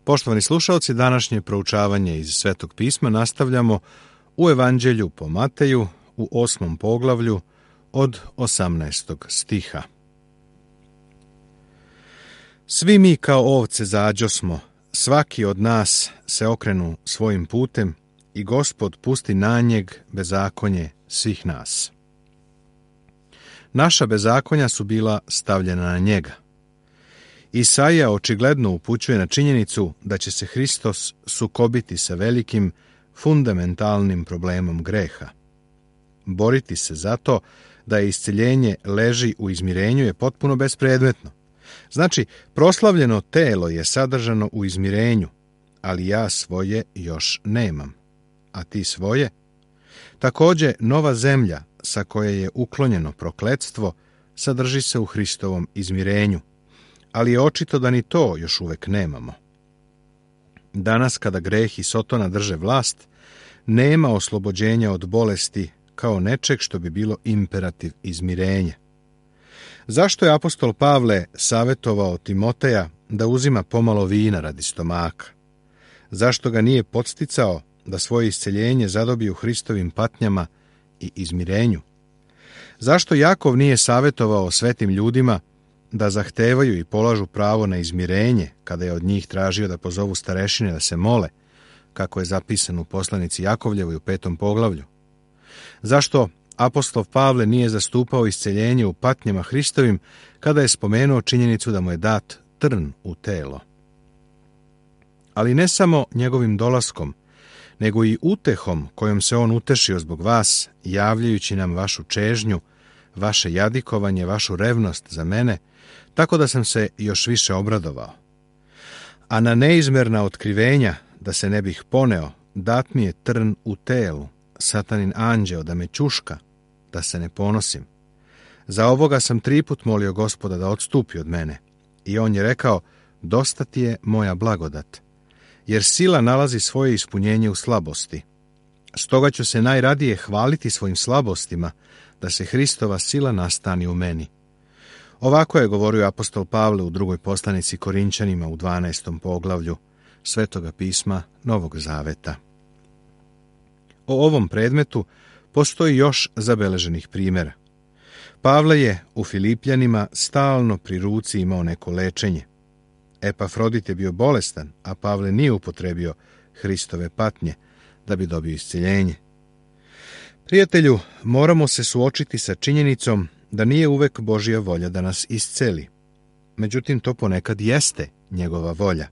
Poštovani slušalci, današnje proučavanje iz Svetog pisma nastavljamo u Evanđelju po Mateju u 8. poglavlju od 18. stiha. Svi mi kao ovce zađosmo, svaki od nas se okrenu svojim putem i Gospod pusti na njeg bezakonje svih nas. Naša bezakonja su bila stavljena na njega. Isaija očigledno upućuje na činjenicu da će se Hristos sukobiti sa velikim, fundamentalnim problemom greha. Boriti se zato da isceljenje leži u izmirenju je potpuno bespredmetno. Znači, proslavljeno telo je sadržano u izmirenju, ali ja svoje još nemam. A ti svoje? Također, nova zemlja sa koje je uklonjeno prokletstvo sadrži se u Hristovom izmirenju, ali je očito da ni to još uvek nemamo. Danas, kada greh i Sotona drže vlast, nema oslobođenja od bolesti kao nečeg što bi bilo imperativ izmirenja. Zašto je apostol Pavle savjetovao Timoteja da uzima pomalo vina radi stomaka? Zašto ga nije podsticao da svoje isceljenje zadobi u Hristovim patnjama i izmirenju? Zašto Jakov nije savjetovao svetim ljudima da zahtevaju i polažu pravo na izmirenje kada je od njih tražio da pozovu starešine da se mole, kako je zapisano u poslanici Jakovljevoj u 5. poglavlju? Zašto apostol Pavle nije zastupao isceljenje u patnjama Hristovim kada je spomenuo činjenicu da mu je dat trn u telo? Ali ne samo njegovim dolaskom, nego i utehom kojom se on utešio zbog vas, javljajući nam vašu čežnju, vaše jadikovanje, vašu revnost za mene, tako da sam se još više obradovao. A na neizmerna otkrivenja, da se ne bih poneo, dat mi je trn u telu, satanin anđeo da me ćuška, da se ne ponosim. Za ovoga sam 3 put molio Gospoda da odstupi od mene. I on je rekao, dosta ti je moja blagodat, jer sila nalazi svoje ispunjenje u slabosti. Stoga ću se najradije hvaliti svojim slabostima, da se Hristova sila nastani u meni. Ovako je govorio apostol Pavle u 2. poslanici Korinčanima u 12. poglavlju Svetoga pisma Novog Zaveta. O ovom predmetu postoji još zabeleženih primjera. Pavle je u Filipljanima stalno pri ruci imao neko lečenje. Epafrodit je bio bolestan, a Pavle nije upotrebio Hristove patnje da bi dobio isceljenje. Prijatelju, moramo se suočiti sa činjenicom da nije uvek Božja volja da nas isceli. Međutim, to ponekad jeste njegova volja.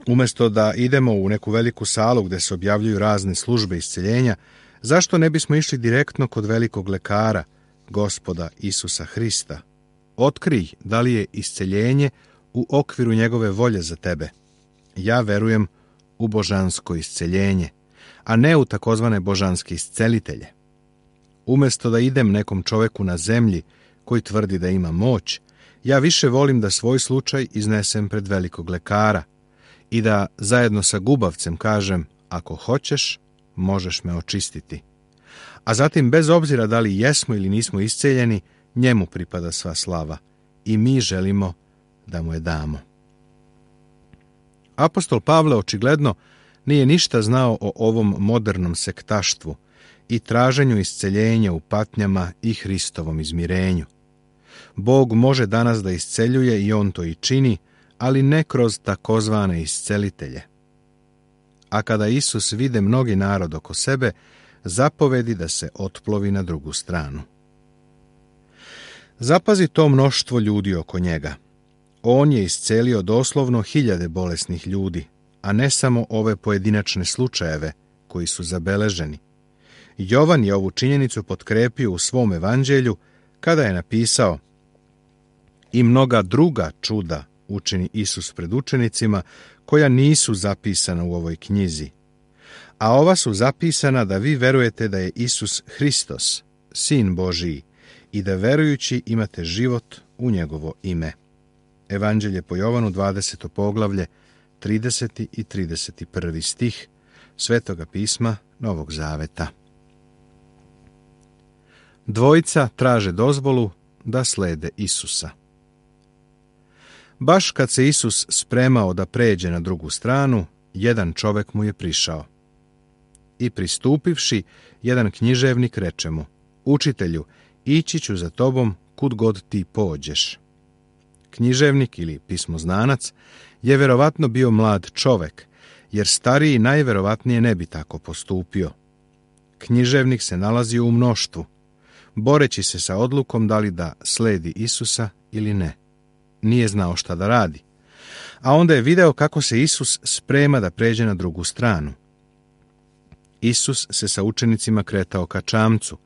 Umjesto da idemo u neku veliku salu gdje se objavljuju razne službe isceljenja, zašto ne bismo išli direktno kod velikog lekara, Gospoda Isusa Hrista? Otkrij da li je isceljenje u okviru njegove volje za tebe. Ja verujem u božansko isceljenje, a ne u takozvane božanske iscelitelje. Umjesto da idem nekom čoveku na zemlji koji tvrdi da ima moć, ja više volim da svoj slučaj iznesem pred velikog lekara i da zajedno sa gubavcem kažem, ako hoćeš, možeš me očistiti. A zatim, bez obzira da li jesmo ili nismo isceljeni, njemu pripada sva slava i mi želimo da mu je damo. Apostol Pavle očigledno nije ništa znao o ovom modernom sektaštvu i traženju isceljenja u patnjama i Hristovom izmirenju. Bog može danas da isceljuje i on to i čini, ali ne kroz takozvane iscelitelje. A kada Isus vide mnogi narod oko sebe, zapovedi da se otplovi na drugu stranu. Zapazi to mnoštvo ljudi oko njega. On je iscelio doslovno 1000 bolesnih ljudi, a ne samo ove pojedinačne slučajeve koji su zabeleženi. Jovan je ovu činjenicu potkrepio u svom evanđelju kada je napisao: i mnoga druga čuda učini Isus pred učenicima koja nisu zapisana u ovoj knjizi. A ova su zapisana da vi verujete da je Isus Hristos, Sin Božiji, i da verujući imate život u njegovo ime. Evanđelje po Jovanu, 20. poglavlje, 30. i 31. stih Svetoga pisma Novog Zaveta. Dvojica traže dozvolu da slede Isusa. Baš kad se Isus spremao da pređe na drugu stranu, jedan čovek mu je prišao. I pristupivši, jedan književnik reče mu: Učitelju, ići ću za tobom kud god ti pođeš. Književnik ili pismoznanac je verovatno bio mlad čovek, jer stariji najverovatnije ne bi tako postupio. Književnik se nalazio u mnoštvu, boreći se sa odlukom da li da sledi Isusa ili ne. Nije znao šta da radi. A onda je video kako se Isus sprema da pređe na drugu stranu. Isus se sa učenicima kretao ka čamcu,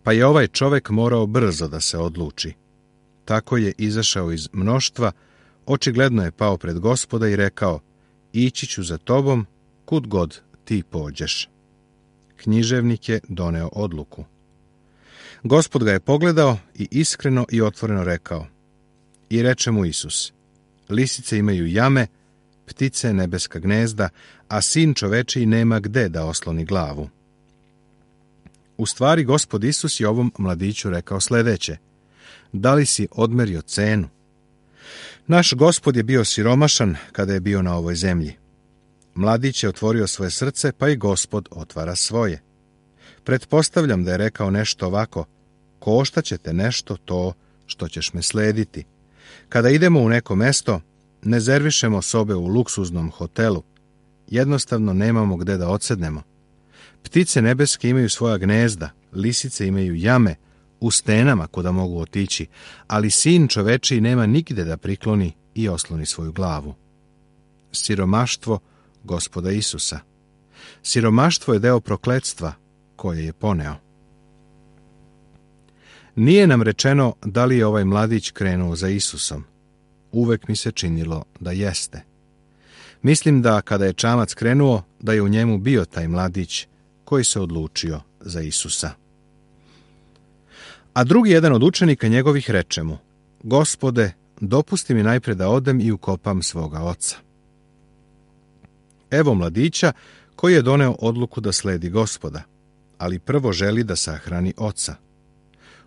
pa je ovaj čovek morao brzo da se odluči. Tako je izašao iz mnoštva, očigledno je pao pred Gospoda i rekao: Ići ću za tobom kud god ti pođeš. Književnik je doneo odluku. Gospod ga je pogledao i iskreno i otvoreno rekao. I reče mu Isus: Lisice imaju jame, ptice nebeska gnezda, a sin čovečiji nema gde da osloni glavu. U stvari, Gospod Isus je ovom mladiću rekao sledeće: Da li si odmerio cenu? Naš Gospod je bio siromašan kada je bio na ovoj zemlji. Mladić je otvorio svoje srce, pa i Gospod otvara svoje. Pretpostavljam da je rekao nešto ovako: Koštaće te nešto to što ćeš me slediti. Kada idemo u neko mesto, ne rezervišemo sobe u luksuznom hotelu. Jednostavno nemamo gde da odsednemo. Ptice nebeske imaju svoja gnezda, lisice imaju jame, u stenama kuda mogu otići, ali sin čovečiji nema nigde da prikloni i osloni svoju glavu. Siromaštvo Gospoda Isusa. Siromaštvo je deo prokletstva koje je poneo. Nije nam rečeno da li je ovaj mladić krenuo za Isusom. Uvek mi se činilo da jeste. Mislim da kada je čamac krenuo, da je u njemu bio taj mladić koji se odlučio za Isusa. A drugi jedan od učenika njegovih reče mu: Gospode, dopusti mi najpre da odem i ukopam svoga oca. Evo mladića koji je doneo odluku da sledi Gospoda, ali prvo želi da sahrani oca.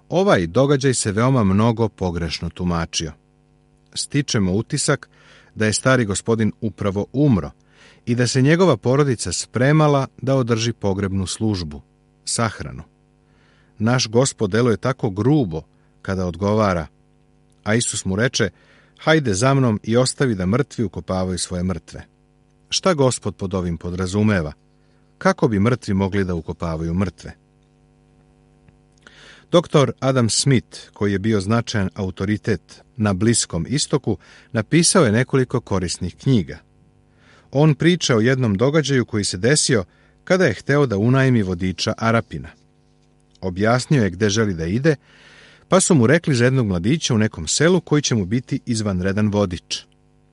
Ovaj događaj se veoma mnogo pogrešno tumačio. Stičemo utisak da je stari gospodin upravo umro i da se njegova porodica spremala da održi pogrebnu službu, sahranu. Naš Gospod deluje tako grubo kada odgovara, a Isus mu reče: Hajde za mnom i ostavi da mrtvi ukopavaju svoje mrtve. Šta Gospod pod ovim podrazumeva? Kako bi mrtvi mogli da ukopavaju mrtve? Dr. Adam Smith, koji je bio značajan autoritet na Bliskom istoku, napisao je nekoliko korisnih knjiga. On priča o jednom događaju koji se desio kada je hteo da unajmi vodiča Arapina. Objasnio je gde želi da ide, pa su mu rekli za jednog mladića u nekom selu koji će mu biti izvanredan vodič.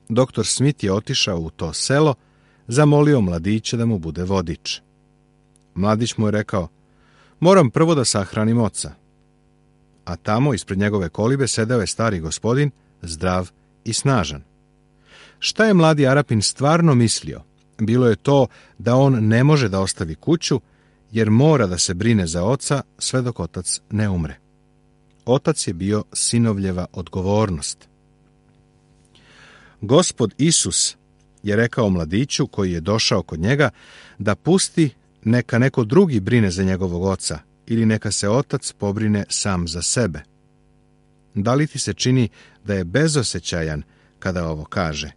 Dr. Smith je otišao u to selo, zamolio mladića da mu bude vodič. Mladić mu je rekao: Moram prvo da sahranim oca. A tamo, ispred njegove kolibe, sedeo je stari gospodin, zdrav i snažan. Šta je mladi Arapin stvarno mislio? Bilo je to da on ne može da ostavi kuću, jer mora da se brine za oca sve dok otac ne umre. Otac je bio sinovljeva odgovornost. Gospod Isus je rekao mladiću koji je došao kod njega da pusti neka neko drugi brine za njegovog oca ili neka se otac pobrine sam za sebe. Da li ti se čini da je bezosećajan kada ovo kaže?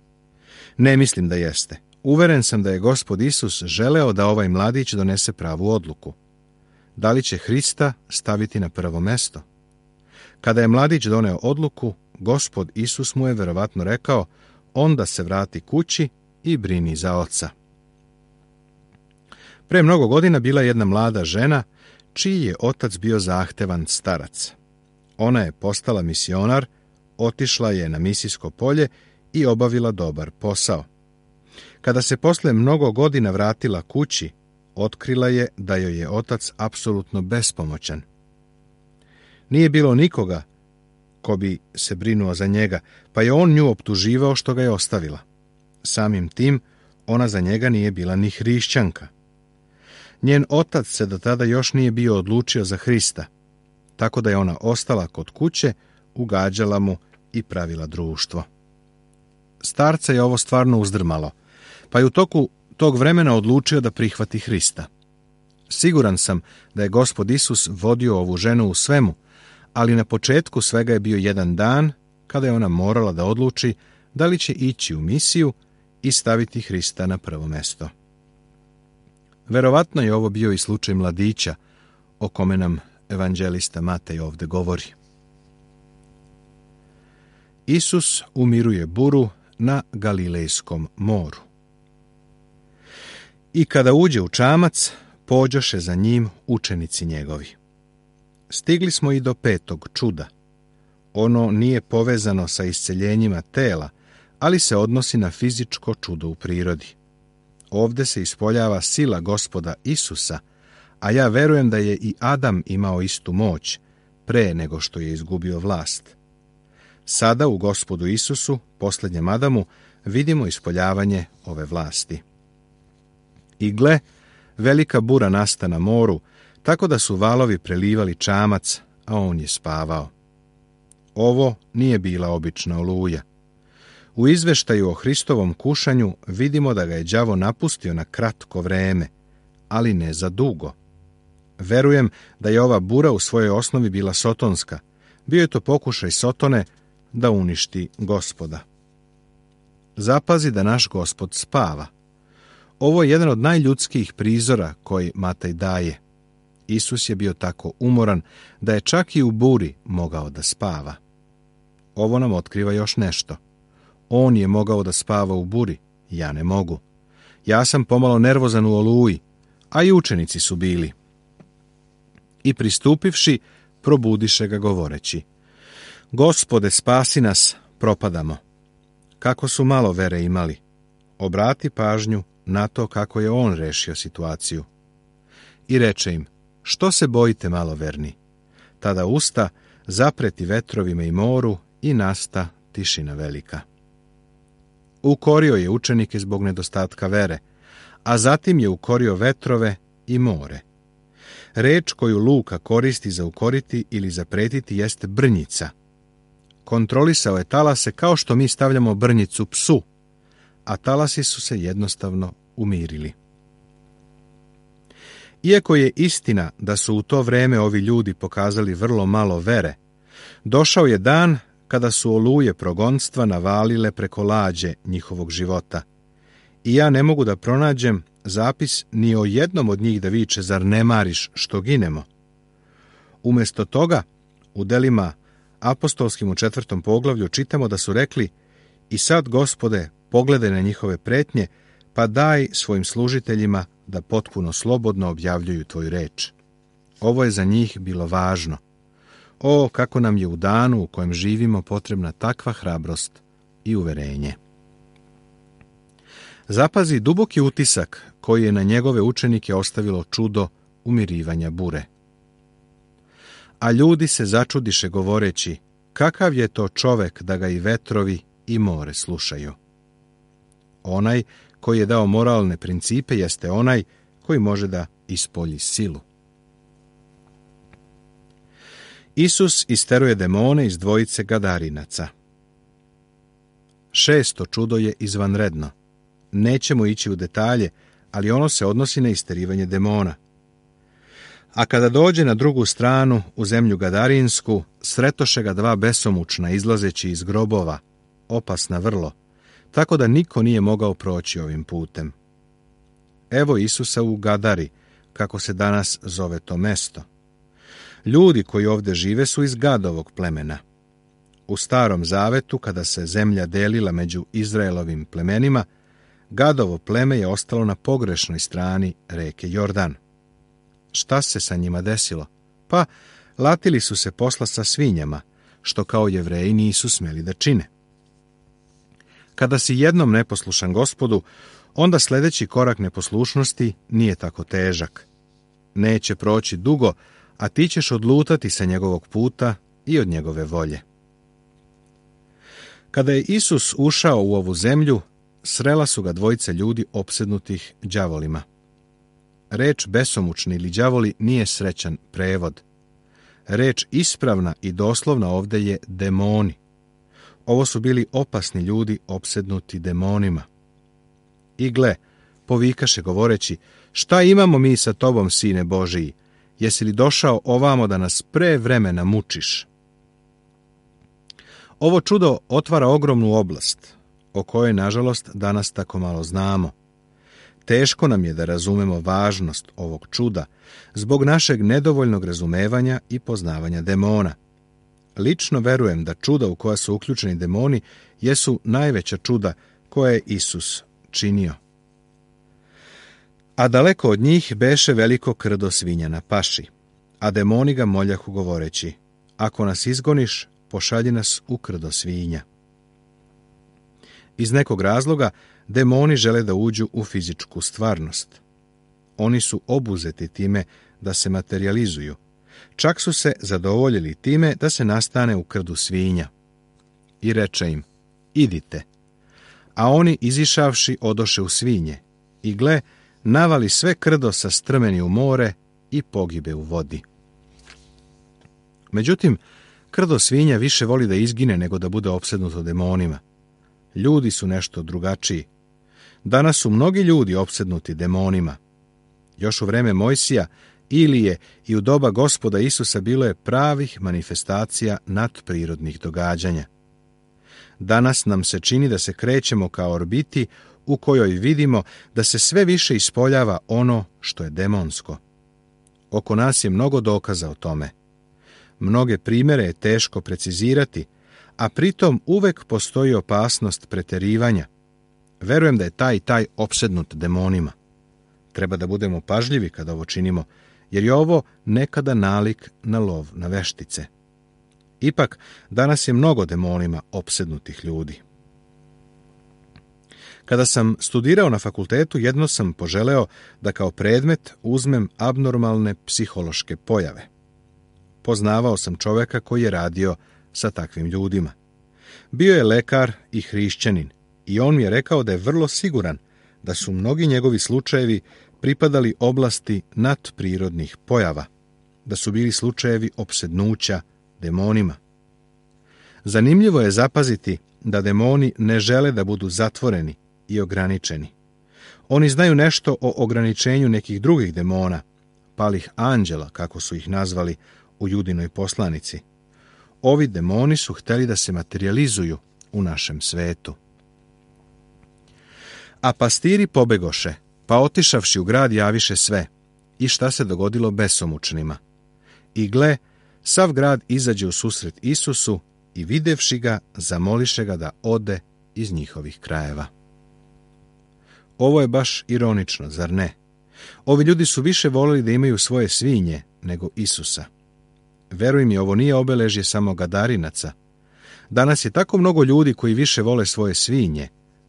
Ne mislim da jeste. Uveren sam da je Gospod Isus želeo da ovaj mladić donese pravu odluku. Da li će Hrista staviti na prvo mesto? Kada je mladić doneo odluku, Gospod Isus mu je verovatno rekao: onda se vrati kući i brini za oca. Pre mnogo godina bila jedna mlada žena čiji je otac bio zahtevan starac. Ona je postala misionar, otišla je na misijsko polje i obavila dobar posao. Kada se posle mnogo godina vratila kući, otkrila je da joj je otac apsolutno bespomoćan. Nije bilo nikoga ko bi se brinuo za njega, pa je on nju optuživao što ga je ostavila. Samim tim, ona za njega nije bila ni hrišćanka. Njen otac se do tada još nije bio odlučio za Hrista, tako da je ona ostala kod kuće, ugađala mu i pravila društvo. starca je ovo stvarno uzdrmalo, pa je u toku tog vremena odlučio da prihvati Hrista. Siguran sam da je Gospod Isus vodio ovu ženu u svemu, ali na početku svega je bio jedan dan kada je ona morala da odluči da li će ići u misiju i staviti Hrista na prvo mesto. Verovatno je ovo bio i slučaj mladića, o kome nam evanđelista Matej ovdje govori. Isus umiruje buru na Galilejskom moru. I kada uđe u čamac, pođoše za njim učenici njegovi. Stigli smo i do 5. čuda. Ono nije povezano sa isceljenjima tela, ali se odnosi na fizičko čudo u prirodi. Ovdje se ispoljava sila Gospoda Isusa, a ja verujem da je i Adam imao istu moć, pre nego što je izgubio vlast. Sada u Gospodu Isusu, posljednjem Adamu, vidimo ispoljavanje ove vlasti. I gle, velika bura nasta na moru, tako da su valovi prelivali čamac, a on je spavao. Ovo nije bila obična oluja. U izveštaju o Hristovom kušanju vidimo da ga je đavo napustio na kratko vreme, ali ne za dugo. Verujem da je ova bura u svojoj osnovi bila sotonska. Bio je to pokušaj Sotone da uništi Gospoda. Zapazi da naš Gospod spava. Ovo je jedan od najljudskijih prizora koji Matej daje. Isus je bio tako umoran da je čak i u buri mogao da spava. Ovo nam otkriva još nešto. On je mogao da spava u buri, ja ne mogu. Ja sam pomalo nervozan u oluji, a i učenici su bili. I pristupivši, probudiše ga govoreći: Gospode, spasi nas, propadamo. Kako su malo vere imali. Obrati pažnju na to kako je on rešio situaciju. I reče im: što se bojite, maloverni? Tada usta zapreti vetrovima i moru i nasta tišina velika. Ukorio je učenike zbog nedostatka vere, a zatim je ukorio vetrove i more. Reč koju Luka koristi za ukoriti ili zapretiti jeste brnjica. Kontrolisao je talase kao što mi stavljamo brnjicu psu, a talasi su se jednostavno umirili. Iako je istina da su u to vreme ovi ljudi pokazali vrlo malo vere, došao je dan kada su oluje progonstva navalile preko lađe njihovog života. I ja ne mogu da pronađem zapis ni o jednom od njih da viče: zar ne mariš što ginemo? Umjesto toga, u delima apostolskim u 4. poglavlju čitamo da su rekli: i sad, Gospode, pogledaj na njihove pretnje, pa daj svojim služiteljima da potpuno slobodno objavljuju tvoju reč. Ovo je za njih bilo važno. O, kako nam je u danu u kojem živimo potrebna takva hrabrost i uverenje. Zapazi duboki utisak koji je na njegove učenike ostavilo čudo umirivanja bure. A ljudi se začudiše govoreći: kakav je to čovek da ga i vetrovi i more slušaju? Onaj koji je dao moralne principe jeste onaj koji može da ispolji silu. Isus isteruje demone iz dvojice Gadarinaca. 6. čudo je izvanredno. Nećemo ići u detalje, ali ono se odnosi na isterivanje demona. A kada dođe na drugu stranu, u zemlju Gadarinsku, sretoše ga 2 besomučna izlazeći iz grobova, opasna vrlo, tako da niko nije mogao proći ovim putem. Evo Isusa u Gadari, kako se danas zove to mesto. Ljudi koji ovdje žive su iz Gadovog plemena. U Starom Zavetu, kada se zemlja delila među Izraelovim plemenima, Gadovo pleme je ostalo na pogrešnoj strani reke Jordan. Šta se sa njima desilo? Pa, latili su se posla sa svinjama, što kao Jevreji nisu smeli da čine. Kada si jednom neposlušan Gospodu, onda sljedeći korak neposlušnosti nije tako težak. Neće proći dugo, a ti ćeš odlutati sa njegovog puta i od njegove volje. Kada je Isus ušao u ovu zemlju, srela su ga 2 ljudi opsednutih đavolima. Reč besomučni ili đavoli nije srećan prevod. Reč ispravna i doslovna ovdje je demoni. Ovo su bili opasni ljudi opsednuti demonima. I gle, povikaše govoreći, šta imamo mi sa tobom, sine Božiji? Jesi li došao ovamo da nas pre vremena mučiš? Ovo čudo otvara ogromnu oblast, o kojoj, nažalost, danas tako malo znamo. Teško nam je da razumemo važnost ovog čuda zbog našeg nedovoljnog razumevanja i poznavanja demona. Lično verujem da čuda u koja su uključeni demoni jesu najveća čuda koje je Isus činio. A daleko od njih beše veliko krdo svinja na paši, a demoni ga moljahu govoreći, ako nas izgoniš, pošalji nas u krdo svinja. Iz nekog razloga demoni žele da uđu u fizičku stvarnost. Oni su obuzeti time da se materializuju. Čak su se zadovoljili time da se nastane u krdu svinja. I reče im, idite. A oni, izišavši, odoše u svinje. I gle, navali sve krdo sa strmeni u more i pogibe u vodi. Međutim, krdo svinja više voli da izgine nego da bude opsednuto demonima. Ljudi su nešto drugačiji. Danas su mnogi ljudi opsednuti demonima. Još u vreme Mojsija, Ilije i u doba Gospoda Isusa bilo je pravih manifestacija nadprirodnih događanja. Danas nam se čini da se krećemo kao orbiti u kojoj vidimo da se sve više ispoljava ono što je demonsko. Oko nas je mnogo dokaza o tome. Mnoge primjere je teško precizirati, a pritom uvek postoji opasnost preterivanja. Verujem da je taj opsednut demonima. Treba da budemo pažljivi kada ovo činimo, jer je ovo nekada nalik na lov na veštice. Ipak, danas je mnogo demonima opsednutih ljudi. Kada sam studirao na fakultetu, jedno sam poželeo da kao predmet uzmem abnormalne psihološke pojave. Poznavao sam čoveka koji je radio sa takvim ljudima. Bio je lekar i hrišćanin i on mi je rekao da je vrlo siguran da su mnogi njegovi slučajevi pripadali oblasti nadprirodnih pojava, da su bili slučajevi opsednuća demonima. Zanimljivo je zapaziti da demoni ne žele da budu zatvoreni i ograničeni. Oni znaju nešto o ograničenju nekih drugih demona, palih anđela, kako su ih nazvali u Judinoj poslanici. Ovi demoni su hteli da se materializuju u našem svetu. A pastiri pobegoše, pa otišavši u grad javiše sve. I šta se dogodilo besomučnima? I gle, sav grad izađe u susret Isusu i videvši ga, zamoliše ga da ode iz njihovih krajeva. Ovo je baš ironično, zar ne? Ovi ljudi su više volili da imaju svoje svinje nego Isusa. Veruj mi, ovo nije obeležje samo Gadarinaca. Danas je tako mnogo ljudi koji više vole svoje svinje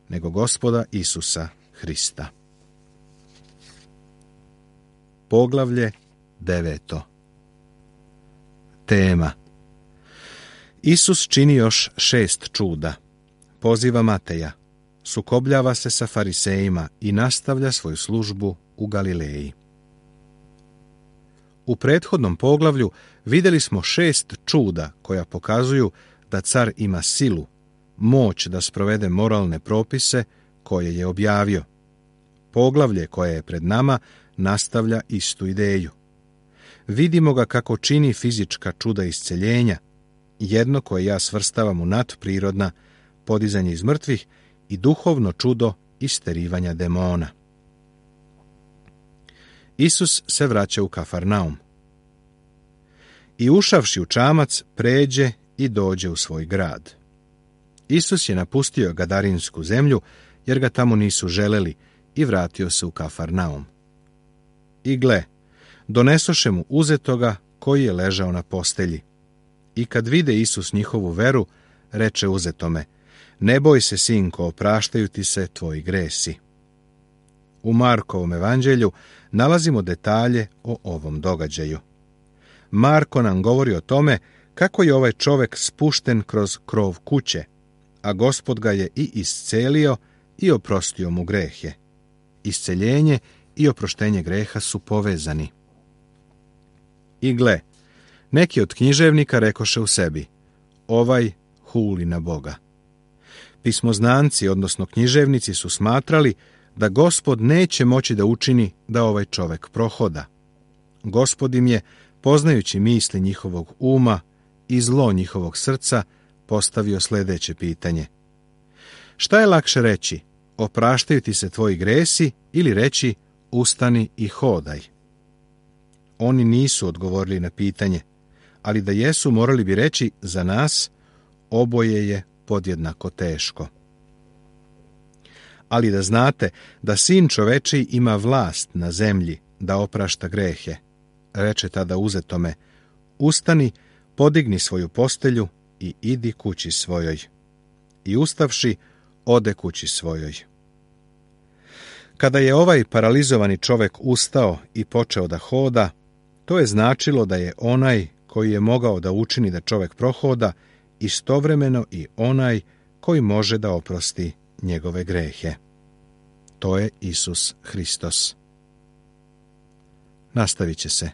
nego Gospoda Isusa Hrista. Poglavlje 9. Tema. Isus čini još 6 čuda. Poziva Mateja. Sukobljava se sa farisejima i nastavlja svoju službu u Galileji. U prethodnom poglavlju vidjeli smo 6 čuda koja pokazuju da car ima silu, moć da sprovede moralne propise koje je objavio. Poglavlje koje je pred nama nastavlja istu ideju. Vidimo ga kako čini fizička čuda isceljenja, jedno koje ja svrstavam u nadprirodna, podizanje iz mrtvih, i duhovno čudo isterivanja demona. Isus se vraća u Kafarnaum. I ušavši u čamac, pređe i dođe u svoj grad. Isus je napustio Gadarinsku zemlju, jer ga tamo nisu želeli, i vratio se u Kafarnaum. I gle, donesoše mu uzetoga koji je ležao na postelji. I kad vide Isus njihovu veru, reče uzetome, ne boj se, sinko, opraštaju ti se tvoji gresi. U Markovom evanđelju nalazimo detalje o ovom događaju. Marko nam govori o tome kako je ovaj čovek spušten kroz krov kuće, a Gospod ga je i iscelio i oprostio mu grehe. Isceljenje i oproštenje greha su povezani. I gle, neki od književnika rekoše u sebi, ovaj huli na Boga. Pismoznanci, odnosno književnici, su smatrali da Gospod neće moći da učini da ovaj čovek prohoda. Gospod im je, poznajući misli njihovog uma i zlo njihovog srca, postavio sljedeće pitanje. Šta je lakše reći? Opraštaju ti se tvoji gresi ili reći ustani i hodaj? Oni nisu odgovorili na pitanje, ali da jesu, morali bi reći za nas oboje je podjednako teško. Ali da znate da Sin čovečiji ima vlast na zemlji da oprašta grehe, reče tada uzetome, ustani, podigni svoju postelju i idi kući svojoj. I ustavši, ode kući svojoj. Kada je ovaj paralizovani čovek ustao i počeo da hoda, to je značilo da je onaj koji je mogao da učini da čovek prohoda istovremeno i onaj koji može da oprosti njegove grehe. To je Isus Hristos. Nastavit će se